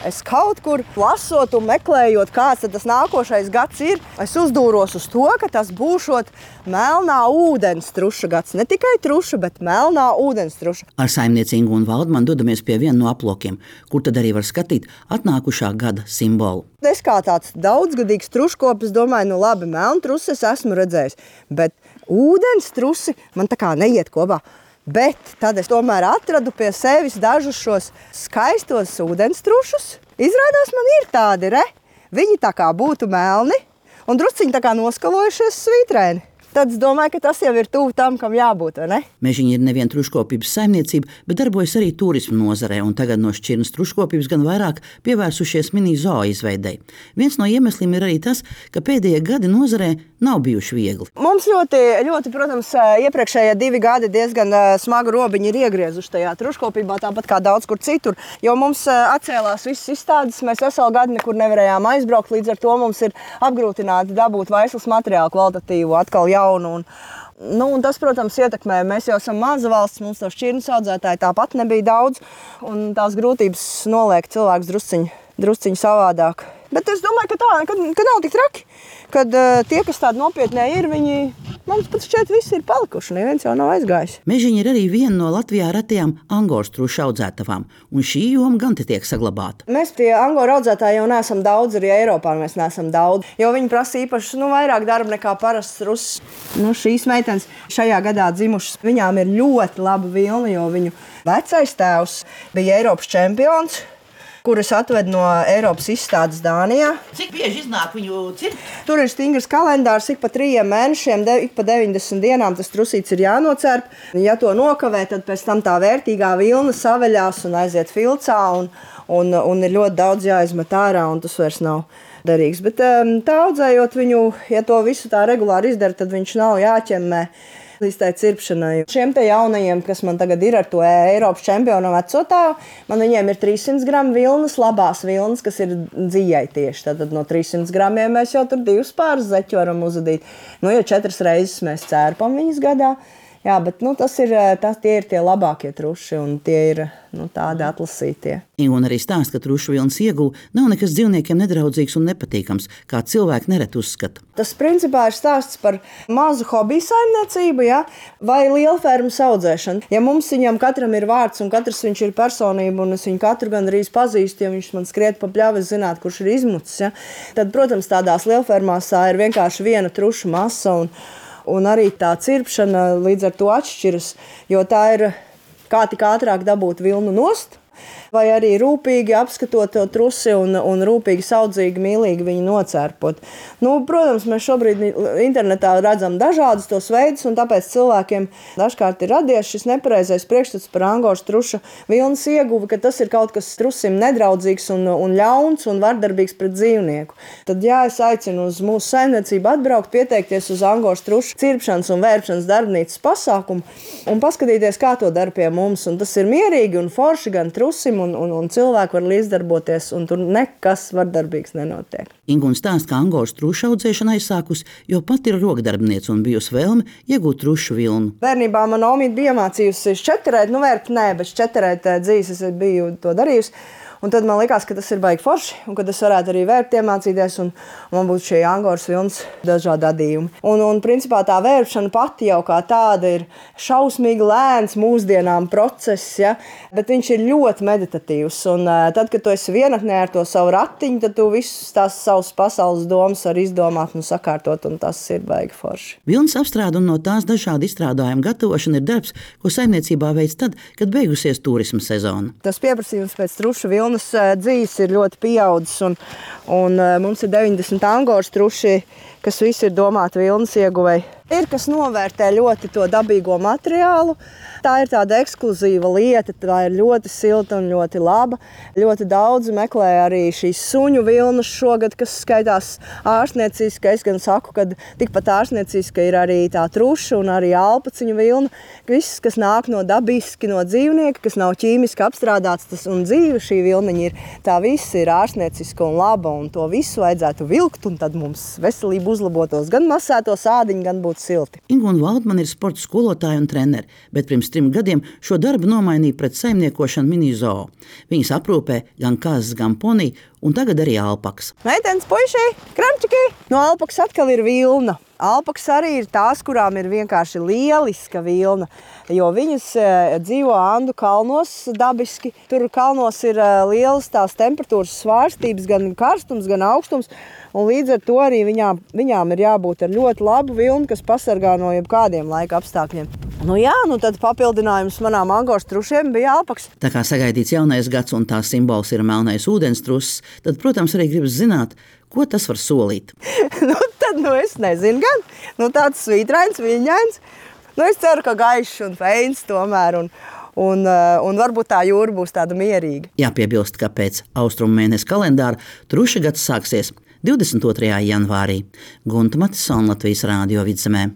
Es kaut kur lasot un meklējot, kāds tas nākošais gads ir, es uzdūros uz to, ka tas būšot melnā ūdenstruša gads. Ne tikai truša, bet melnā ūdenstruša. Ar saimnieci Ingu un Valdmanu dodamies pie viena no aplokiem, kur tad arī var skatīt atnākušā gada simbolu. Es kā tāds daudzgadīgs truškopis domāju, nu labi, melnu trusi es esmu redzējis, bet ūdenstrusi man tā kā neiet kopā. Bet tad es tomēr atradu pie sevis dažus šos skaistos ūdenstrušus. Izrādās man ir tādi, Viņi tā kā būtu melni un drusciņi tā kā noskalojušies svītrēni. Tad es domāju, ka tas jau ir tuvu tam, kam jābūt, vai ne? Mežiņa ir nevien truškopības saimniecība, bet darbojas arī turismu nozarē, un tagad no šķirnes truškopības gan vairāk pievērsušies mini-zoo izveidei. Viens no iemesliem ir arī tas, ka pēdējie gadi nozarē nav bijuši viegli. Mums ļoti, protams, iepriekšējie 2 gadi diezgan smagu robiņu ir iegriezuši tajā truškopībā, tāpat kā daudz kur citur, jo mums atcēlās visas izstādes, mēs veselu gadu nekur nevarējām aizbraukt, līdz ar to mums ir apgrūtināti dabūt vaislas materiālu kvalitatīvu atkal jaunu. Un tas, protams, ietekmē. Mēs jau esam maza valsts, mums to šķirnes audzētāji tāpat nebija daudz, un tās grūtības noliek cilvēks drusciņu savādāk. Bet es domāju, ka nav tik traki, kad tie, kas tādi nopietnē ir, viņi mums pat šķiet visi ir palikuši, neviens jau nav aizgājis. Mežiņa ir arī viena no Latvijā retajām angoras trušu audzētavām, un šī joma gan te tiek saglabāta. Mēs tie angoru audzētāji jau neesam daudz, arī Eiropā mēs neesam daudz, jo viņi prasa īpaši vairāk darba nekā parasts rusis. Šīs meitenes šajā gadā dzimušas, viņām ir ļoti laba vilna, jo viņu vecais tēvs bija Eiropas čempions, kurus atved no Eiropas izstādes Dānijā. Cik bieži iznāk viņu cirkt? Tur ir stingrs kalendārs, ik pa 3 mēnešiem, ik pa 90 dienām tas trusīts ir jānocērp. Ja to nokavē, tad pēc tam tā vērtīgā vilna saveļās un aiziet filcā, un ir ļoti daudz jāizmet ārā, un tas vairs nav derīgs. Bet tā audzējot viņu, ja to visu tā regulāri izdara, tad viņš nav jāķemmē līdz tai cirpšanai. Šiem te jaunajiem, kas man tagad ir ar to Eiropas čempionu vecotāju, man viņiem ir 300 gramu vilnas, labās vilnas, kas ir dzijai tieši. Tad no 300 gramiem mēs jau tur 2 pāris zeķu varam uzadīt. Jo 4 reizes mēs cērpam viņas gadā. Jā, bet tie ir tie labākie truši, un tie ir tādi atlasītie. Un arī stāsta, ka trušu vilnas ieguve nav nekas dzīvniekiem nedraudzīgs un nepatīkams, kā cilvēki nereti uzskata. Tas principā ir stāsts par mazu hobiju saimniecību, vai lielfermas audzēšanu. Ja mums viņam katram ir vārds un katrs viņš ir personība, un es viņu katru gandrīz pazīstu, ja viņš man skriet pa pļavu, es zinātu, kurš ir izmucis. Tad, protams, tādās lielfermās tā ir vienkārši viena trušu masa, un arī tā cirpšana līdz ar to atšķiras, jo tā ir kā tik ātrāk dabūt vilnu nost, vai arī rūpīgi apskatot to trusi un rūpīgi, saudzīgi, mīlīgi viņu nocērpot. Protams, mēs šobrīd internetā redzam dažādus tos veidus, un tāpēc cilvēkiem dažkārt ir radies šis nepareizais priekšstats par angoras truša vilnas ieguvi, ka tas ir kaut kas trusim nedraudzīgs un ļauns un vardarbīgs pret dzīvnieku. Tad es aicinu uz mūsu saimniecību atbraukt, pieteikties uz angoras truša cirpšanas un vērpšanas darbnīcas pasākumu un paskatīties, kā to dara pie mums. Un tas ir mierīgi un forši gan trusim, un cilvēki var līdzdarboties, un tur nekas vardarbīgs nenotiek. Inga stāsta, ka angoras trušu audzēšana aizsākusi, jo pat ir rokdarbniece un bijusi vēlme iegūt trušu vilnu. Bērnībā man omīte bija iemācījusi šķeterēt, vērpt nē, bet šķeterēt dzīves es biju to darījusi. Un tad man likās, ka tas ir baigi forši, un ka es varētu arī vērpt iemācīties, un man būtu šie angoras vilnas dažādi adījumi. Un principā tā vērpšana pati jau kā tāda ir šausmīgi lēns mūsdienām process, bet viņš ir ļoti meditatīvs. Un tad, kad tu esi vienatnē ar to savu ratiņu, tad tu visus tās savus pasaules domas var izdomāt un sakārtot, un tas ir baigi forši. Vilnas apstrāde un no tās dažādi izstrādājumi gatavošana ir darbs, ko saimniecībā veic tad, kad beigusies turisma sezona. Tas pieprasījums pēc trušu vilnas dzīves ir ļoti pieaudzis, un mums ir 90 angoras truši, kas visi ir domāti vilnas ieguvei. Ir, kas novērtē ļoti to dabīgo materiālu. Tā ir tāda ekskluzīva lieta, tā ir ļoti silta un ļoti laba. Ļoti daudzi meklē arī šīs suņu vilnas šogad, kas skaitās ārstnieciski. Es gan saku, ka tikpat ārstnieciski ir arī tā truša un arī alpaciņu vilna. Viss, kas nāk no dabiski, no dzīvnieka, kas nav ķīmiski apstrādāts, tas un dzīve šī vilniņa ir, tā viss ir ārstnieciska un laba, un to visu vajadzētu vilkt, un tad mums veselība uzlabotos, gan masētos ādiņi, gan būtu būt silti. Ingūna Valdmane ir sporta skolotāja un trenere, bet pirms 3 gadiem šo darbu nomainīja pret saimniekošanu mini-zoo. Viņas aprūpē gan kazas, gan poniju, un tagad arī alpakas. Meitenes, puiši, kramčiki! No alpakas atkal ir vilna. Alpakas arī ir tās, kurām ir vienkārši lieliska vilna, jo viņas dzīvo Andu kalnos dabiski. Tur kalnos ir lielas tās temperatūras svārstības, gan karstums, gan augstums, un līdz ar to arī viņām ir jābūt ar ļoti labu vilnu, kas pasargā no jebkādiem laika apstākļiem. Tad papildinājums manām angošu trušiem bija alpakas. Tā kā sagaidīts jaunais gads un tā simbols ir melnais ūdenstruss, tad, protams, arī gribas zināt, ko tas var solīt. Es nezinu gan. Tāds svītrains, viļņains. Es ceru, ka gaišs un feins tomēr, un varbūt tā jūra būs tāda mierīga. Jāpiebilst, ka pēc austrumu mēnesi kalendāra truša gads sāksies 22. janvārī. Gunta Matisona, Latvijas Rādio Vidzemē.